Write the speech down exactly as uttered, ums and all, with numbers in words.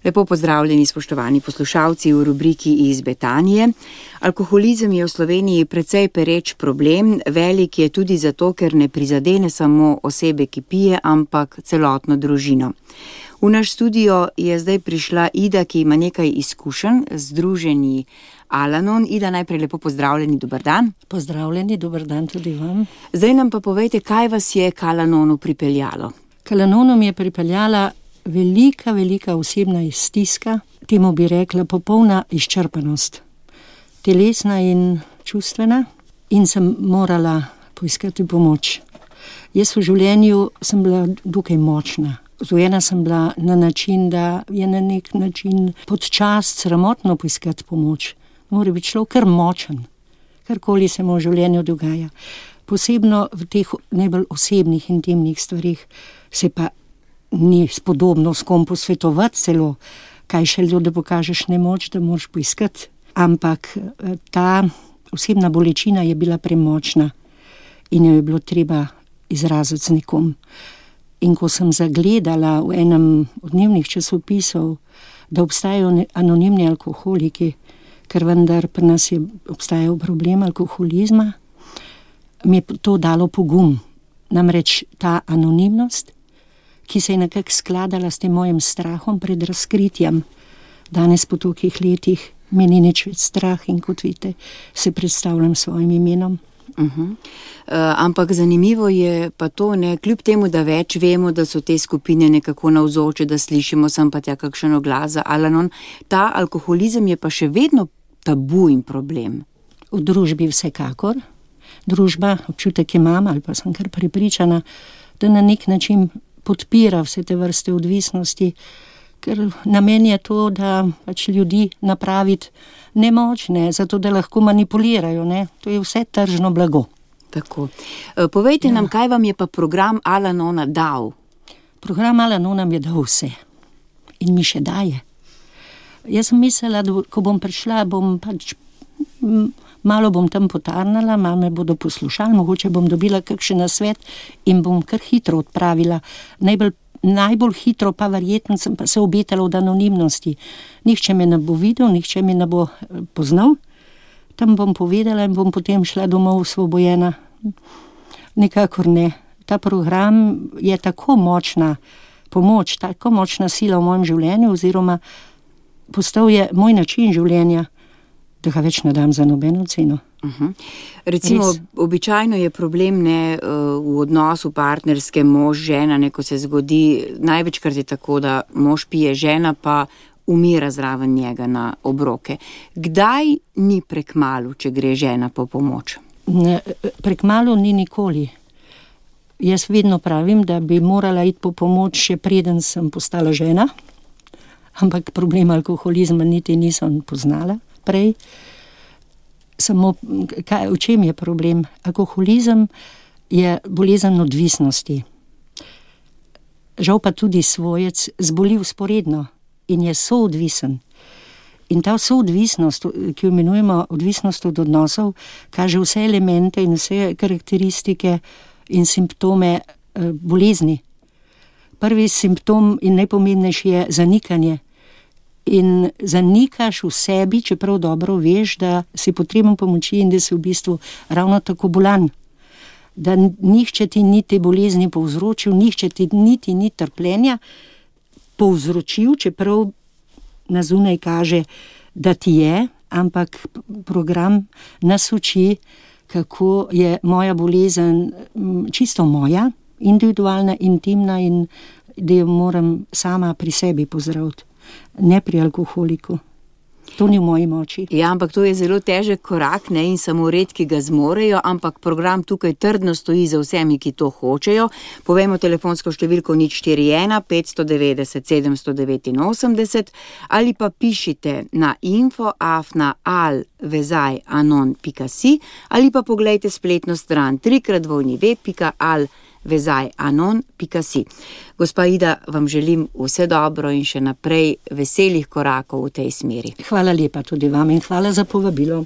Lepo pozdravljeni, spoštovani poslušalci v rubriki Iz Betanije. Alkoholizem je v Sloveniji precej pereč problem, velik je tudi zato, ker ne prizadene samo osebe, ki pije, ampak celotno družino. V naš studio je zdaj prišla Ida, ki ima nekaj izkušenj z združenji Al-Anon. Ida, najprej lepo pozdravljeni, dober dan. Pozdravljeni, dober dan tudi vam. Zdaj nam pa povejte, kaj vas je k Al-Anonu pripeljalo? K Al-Anonu mi je pripeljala velika, velika osebna stiska, temu bi rekla popolna izčrpanost, telesna in čustvena, in sem morala poiskati pomoč. Jaz v življenju sem bila dokaj močna. Vzgojena sem bila na način, da je na nek način podčast sramotno poiskati pomoč. Mora biti človek kar močen, karkoli se mu v življenju dogaja. Posebno v teh najbolj osebnih, intimnih stvarih se pa ni spodobno s kom posvetovati celo, kaj šele, da pokažeš nemoč, da moraš poiskati. Ampak ta osebna bolečina je bila premočna in jo je bilo treba izraziti z nekom. In ko sem zagledala v enem od dnevnih časopisov, da obstajajo anonimni alkoholiki, ker vendar pri nas je obstajal problem alkoholizma, mi je to dalo pogum. Namreč ta anonimnost, ki se je nekako skladala s tem mojim strahom pred razkritjem. Danes po tolikih letih mi ni nič več strah in kot vidite, se predstavljam s svojim imenom. Uh-huh. Uh, ampak zanimivo je pa to, ne, kljub temu, da več vemo, da so te skupine nekako navzoče, da slišimo sem pa tja kakšen oglas za Al-Anon, ta alkoholizem je pa še vedno tabu in problem. V družbi vsekakor. Družba, občutek imam, ali pa sem kar prepričana, da na nek način podpira vse te vrste odvisnosti, ker namen je to, da pač ljudi napraviti nemočne, zato da lahko manipulirajo, ne? To je vse tržno blago. Tako. Povejte ja. nam, kaj vam je pa program Al-Anona dal? Program Al-Anona mi je dal vse. In mi še daje. Jaz sem mislila, da ko bom prišla, bom pač malo bom tam potarnala, malo me bodo poslušali, mogoče bom dobila kakšen nasvet in bom kar hitro odpravila. Najbolj, najbolj hitro pa verjetno sem pa se obetala od anonimnosti. Nihče me ne bo videl, nihče me ne bo poznal. Tam bom povedala in bom potem šla domov osvobojena. Nikakor ne. Ta program je tako močna pomoč, tako močna sila v mojem življenju, oziroma postal je moj način življenja, da ga več ne dam za nobeno ceno. Uh-huh. Recimo, Res. običajno je problem ne, v odnosu partnerske mož, žena, ne, ko se zgodi, največkrat je tako, da mož pije, žena pa umira zraven njega na obroke. Kdaj ni prekmalu, če gre žena po pomoč? Ne, prekmalu ni nikoli. Jaz vedno pravim, da bi morala iti po pomoč, še preden sem postala žena, ampak problem alkoholizma niti nisem poznala prej. Samo, kaj, v čem je problem? Alkoholizem je bolezen odvisnosti. Žal pa tudi svojec zboli vzporedno in je soodvisen. In ta soodvisnost, ki jo imenujemo odvisnost od odnosov, kaže vse elemente in vse karakteristike in simptome eh, bolezni. Prvi simptom in najpomembnejši je zanikanje. In zanikaš v sebi, čeprav dobro veš, da si potreben pomoči in da si v bistvu ravno tako bolan. Da nihče ti ni te bolezni povzročil, nihče ti niti ni trpljenja povzročil, čeprav na zunaj kaže, da ti je, ampak program nas uči, kako je moja bolezen čisto moja, individualna, intimna in da jo moram sama pri sebi pozdraviti. Ne pri alkoholiku. To ni v moji moči. Ja, ampak to je zelo težek korak, ne, in samo redki ga zmorejo, ampak program tukaj trdno stoji za vsemi, ki to hočejo. Povejmo telefonsko številko nič štiri ena pet devet devet sedem osem devet ali pa pišite na info afna al vezaj anon pika si ali pa poglejte spletno stran trikrat dvojni ve pika al vezaj anon pika si. Gospa Ida, vam želim vse dobro in še naprej veselih korakov v tej smeri. Hvala lepa tudi vam in hvala za povabilo.